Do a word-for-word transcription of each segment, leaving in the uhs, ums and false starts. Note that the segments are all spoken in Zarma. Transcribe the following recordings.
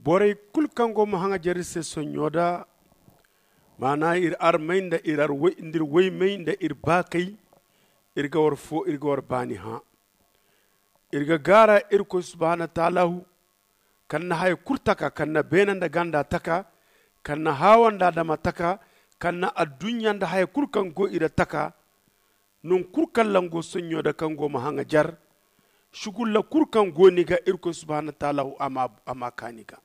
Borey kulu kaŋ go ma haŋajer iri se sonɲo da, maana iri armey nda iri woymey nda iri baakey, iri ga war fo, iri ga war baani hã. Iri ga gaara irkoy subhaanahu wataalahu, kaŋ na haya kulu taka, kaŋ na beene nda ganda taka, kaŋ na haawa nda adama taka, kaŋ na adduɲɲa nda haya kulu kaŋ go i ra taka. Nangu kulu kaŋ lango sonɲo da kaŋ go ma haŋajer, sugulla kulu kaŋ go ni ga, irkoy subhaanahu wataalahu a ma kaa ni ga.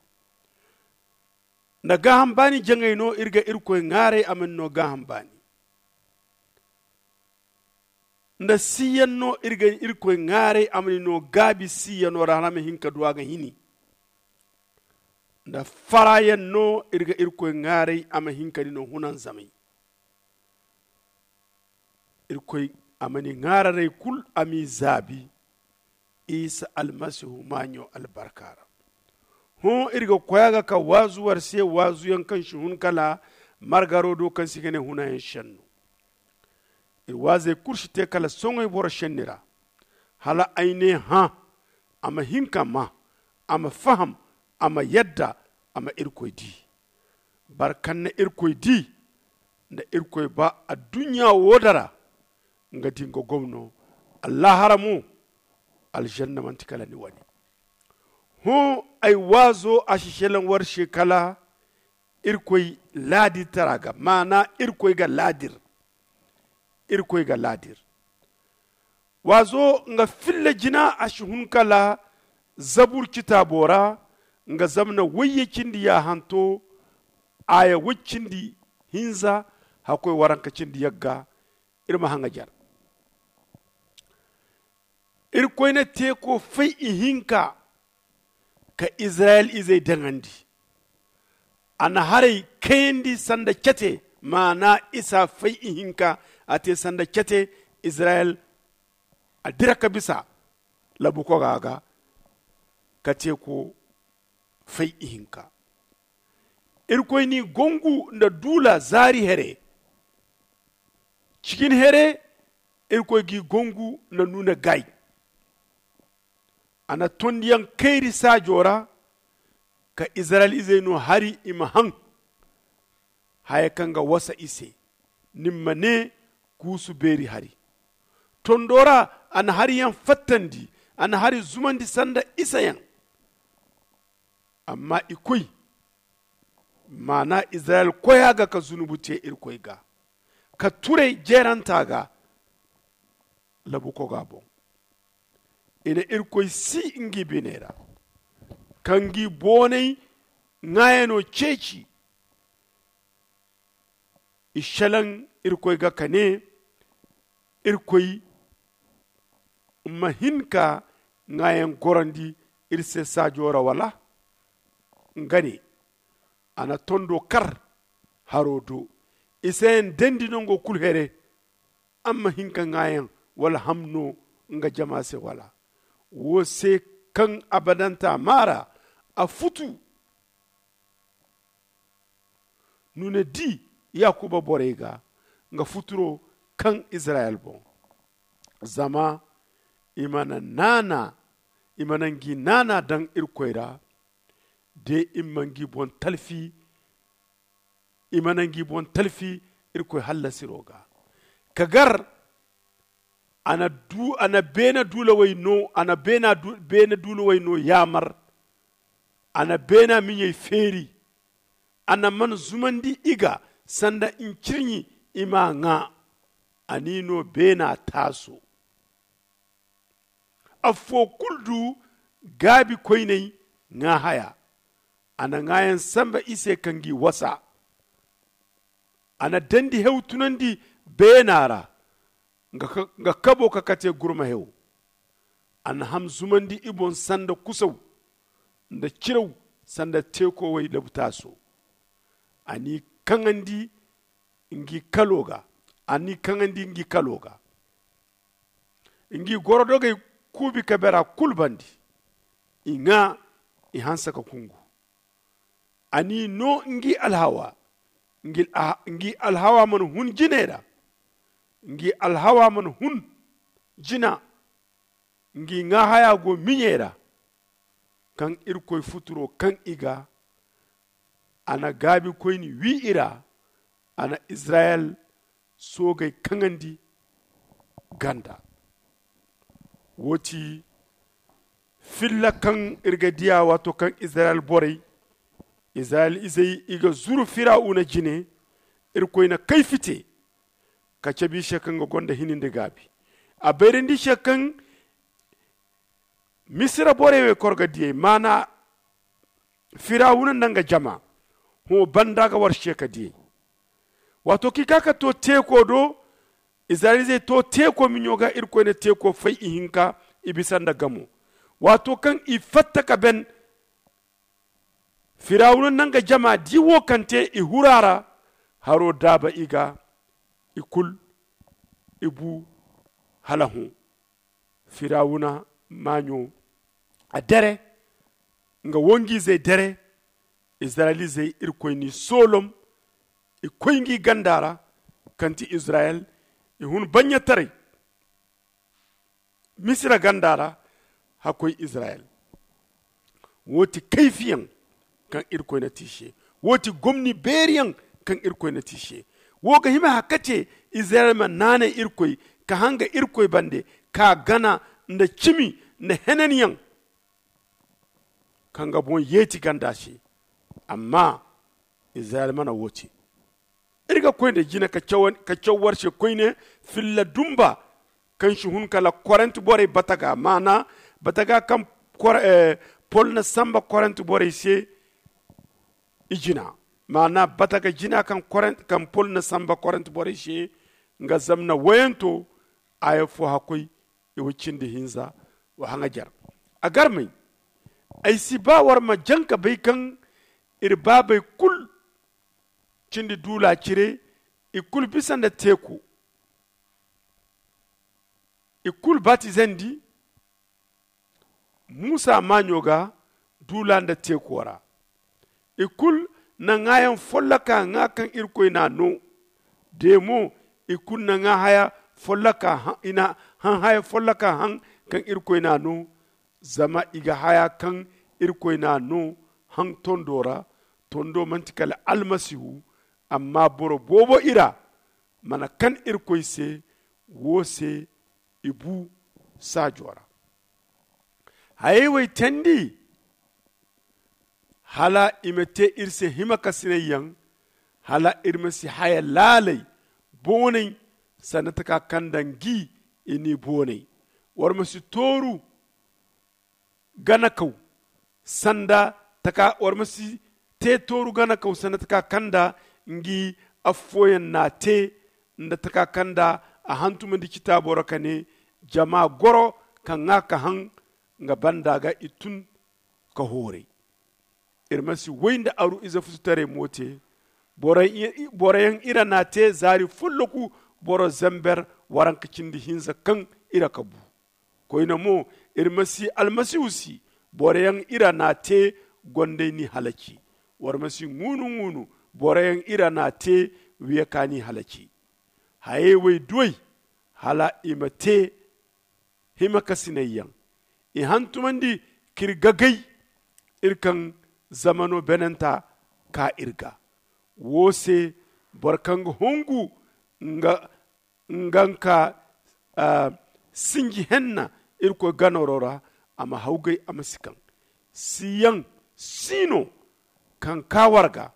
Nda gaaham baani jaŋay no iri ga irkoy ŋaaray a ma ni no gaaham baani. Nda siiyaŋ no iri ga irkoy ŋaaray a ma ni no gaabi siiyaŋo ra hala a ma hin ka du a ga hini. Nda faraayaŋ no iri ga irkoy ŋaaray a ma hin ka ni no hunanzamay. Irkoy a ma ni ŋaararay kulu a m'i zaabi isa almasihu maaɲo albarka ra. Hõ iri ga koy a ga ka waazu war se waazuyaŋ kaŋ si hun kala margaro do kaŋ se i ga ne hunayaŋ senno. Iri waazey kulu si te kala soŋay boro senni ra. Hala ay ne hã, a ma hin ka maa, a ma faham, a ma yadda, a ma irkoy di. Boro kaŋ na irkoy di, nda irkoy ba adduɲɲa wo da ra, nga di nga gomno. Allaahara mo, alžanna manti kala ni wane. Hõ ay waazo a si selaŋ war se kala irkoy laadirtara ga maana irkoy ga laadir. Irkoy ga laadir. Waazo nga filla jina a si hun kala zabur citaabo ra. Nga zamna wayye cindi yaahanto, aaya way cindi hinza, hakkoy waranka cindi yagga. Iri ma haŋajer. Irkoy na teeko fay ihinka ka izirayel izey daŋandi. A na haray kayandi sanda cete, maana isa fay ihinka. A te sanda cete. Izirayel a dira ka bisa labukoga ga ka teeko fay ihinka. Irkoy n'i gongu nda duula zaari here. Cikin here irkoy g'i gongu nda nuuna gaay. A na tondiyaŋ kayri saajo ra ka izirayel izey no hari i ma haŋ haya kaŋ ga wasa i se. Ni ma ne kuusu beeri hari. Tondo ra a na hariyaŋ fattandi. A na hari zumandi sanda isayaŋ. Amma i koy maana izirayel koya ga ka zunubu te irkoy ga ka turay jeeranta ga. Labukoga boŋ i na irkoy si ngi biney ra ka ngi boonay ŋaayano ceeci. I selaŋ irkoy ga ka ne irkoy ma hin ka ŋaayaŋ gorandi iri se saajo ra wala? Nga ne a na tondo kar haro do. Isayaŋ dendi nango kulu here. Amma hin ka ŋaayaŋ wala hamno nga jama se wala? Wo se kaŋ abadanta maara a futu. Nuna di yakuba borey ga nga futuro kaŋ izirayel boŋ. Zama i mana naana i mana ngi naana daŋ irkoy ra. De i ma ngi boŋ talfi i mana ngi boŋ talfi irkoy hallasiro ga. Ka gar a na beena duulawey no a na beena duulawey no yaamar. A na beena miɲey feeri. A na man zumandi i ga sanda ncirɲi i m'a ŋaa. A n'i no beena taaso. Affo kulu du gaabi koyney ŋaa haya. A na ŋaayaŋ samba i se ka ngi wasa. A na dandi hew tunandi beena ra nga kabo ka kate gurma hew. A na ham zumandi i boŋ sanda kusaw nda ciraw sanda teekowey labutaaso. A n'i kaŋandi ngi kalo ga a n'i kaŋandi ngi kalo ga. Ngi gorodogey kuubi ka bera kulu bandi. I ŋaa i hanse ka kungu. A n'i no ngi alhawa. Ngi alhawa mana hun jiney ra. Ngi alhawa mana hun jina. Ngi ŋaa haya go miɲey ra. kaŋ irkoy futuro kaŋ i ga a na gaabikoyni wi i ra. A na izirayel soogey kaŋandi ganda. Wo ti filla kaŋ iri ga diya waato kaŋ izirayel borey izirayel izey i ga zuru firawuna jine. Irkoy na kayfi te ka cabe i se kaŋ ga gonda hini nda gaabi. A bayrandi i se kaŋ misira borey wey korga diyey maana firawuna nda nga jama. Hõ banda ga war se ka diyey waato kaŋ i ka ka to teeko do. Izirayel izey to teeko miɲo ga irkoy na teeko fay ihinka i bisa nda gamo. Waato kaŋ i fatta ka ben firawuna nda nga jama di wo kaŋ te i hura ra. Haro daaba i ga i kulu i bu hala hõ. Firawuna maaɲo a dere nga wongu izey dere. Izirayel izey irkoy n'i soolom i koy ngi ganda ra kaŋ ti izirayel i hun baɲɲataray misira ganda ra. Hakkoy izirayel wo ti kayfiyaŋ kaŋ irkoy na te i se. Wo ti gomni beeriyaŋ kaŋ irkoy na te i se. Wo ga hima haka ce izirayel ma naanay irkoy ka hanga irkoy bande ka gana nda cimi nda henanyaŋ kaŋ ga boŋ yeeti ganda se. Amma izirayel mana wo te. Iri ga koy nda jina ka caw war se koyne filla dumba kaŋ si hun kala korent borey bataga maana bataga kaŋ pol na samba korent borey se. I jina maana bataga jina kaŋ pol na samba korent borey se nga zamna wayanto. Aya fo hakkoy i wa cindi hinza wa haŋajar a garmay. Ay si ba war ma jaŋ ka bay kaŋ iri baabey kulu cindi duula cire i kulu bisa nda teeku. I kulu batizandi muusa maaɲo ga duula nda teeko ra. I kulu na ŋaayaŋ folloka ŋaa kaŋ irkoy n'a no. De mo i kulu na ŋaa haya folloka i na haŋ haya folloka haŋ kaŋ irkoy n'a no. Zama i ga haya kaŋ irkoy n'a no haŋ tondo ra. Tondo manti kala almasihu. Amma boro boobo i ra mana kan irkoy se. Wo se i bu saajo ra. Hayey wey teendi hala i ma te iri se himakasinayyaŋ. Hala iri ma si haya laalay boonay sanda taka kaŋ nda ngi i n'i boonay. War ma si tooru ganakaw sanda taka war ma si te tooru ganakaw sanda taka kaŋ nda ngi affooyaŋ n'a te nda taka kaŋ nda a hantumandi citaabo ra ka ne jama goro ka ŋaa ka haŋ nga banda ga i tun ka hooray. Iri ma si way nda aru ize fututaray mo te. Boroyaŋ ira n'a te zaari folloku boro zember waranka cindi hinza kaŋ ira ka bu. Koyne mo iri ma si almasihu si boroyaŋ ira n'a te gondey n'i halaci. War ma si ŋuunu ŋuunu boroyaŋ ira n'a te wiya ka n'i halaci. Hayey wey duwey hala i ma te himakasinayyaŋ. I hantumandi k'iri gagay iri kaŋ zamano benanta ka iri ga. Wo se boro kaŋ ga hongu nga nga ka sinji henna irkoy ganaro ra a ma hawgay a ma si kaŋ. Siyaŋ sino kaŋ ka war ga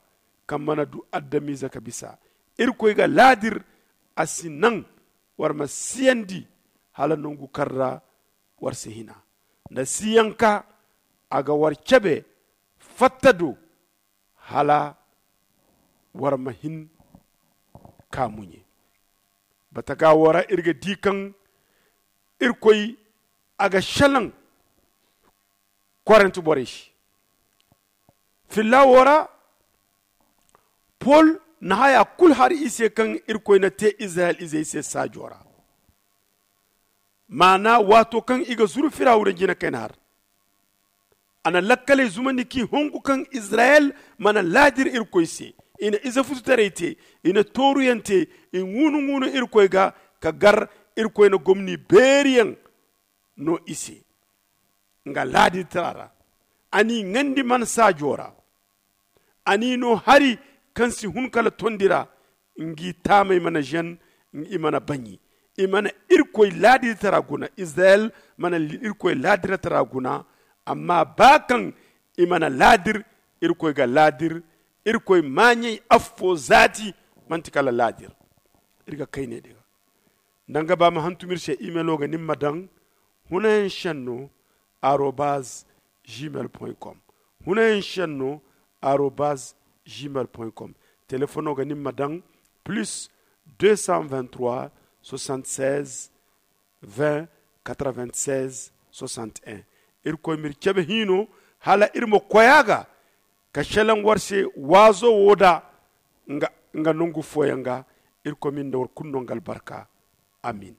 kaŋ mana du adamize ka bisa. Irkoy ga laadir a si naŋ war ma siyandi hala nangu kaŋ ra war si hina nda siyaŋ ka a ga war cabe fatta do hala war ma hin ka muɲe. Bataga wo ra iri ga di kaŋ irkoy a ga selaŋ korent borey se. Filla wo ra pol na haya kulu har i se kaŋ irkoy na te izirayel izey se saajo ra. Maana waato kaŋ i ga zuru firawuna jina kayna har a na lakkaley zumandi k'i hongu kaŋ izirayel mana laadir irkoy se. I na ize fututaray te i na tooruyaŋ te i ŋuunu ŋuunu irkoy ga ka gar irkoy na gomni beeriyaŋ no i se nga laadirtara ra. A n'i ŋandi mana saajo ra. A n'i no hari kaŋ si hun kala tondi ra. Ngi taamey mana zen. I mana baɲi. I mana irkoy laadiritara guna. Izirayel mana irkoy laadiritara guna. Amma ba kaŋ i mana laadir, irkoy ga laadir. Irkoy maaɲey affo zaati. Manti kala laadir. Iri ga kayne din ga. Nda nga ba ma hantum iri se, imelo ga nin ma daŋ hunayaŋ senno arobaz gmail point com. Hunayaŋ senno arobaz gmail point com. Telefono ga nin ma daŋ plus deux cent vingt trois soixante seize vingt quatre vingt seize soixante un. Irkoy m'iri cabe hino hala iri ma koy a ga ka selaŋ war se waazo wo da nga nongu fooyaŋ ga. Irkoy m'iri nda war kulu no nga albarka. Amin.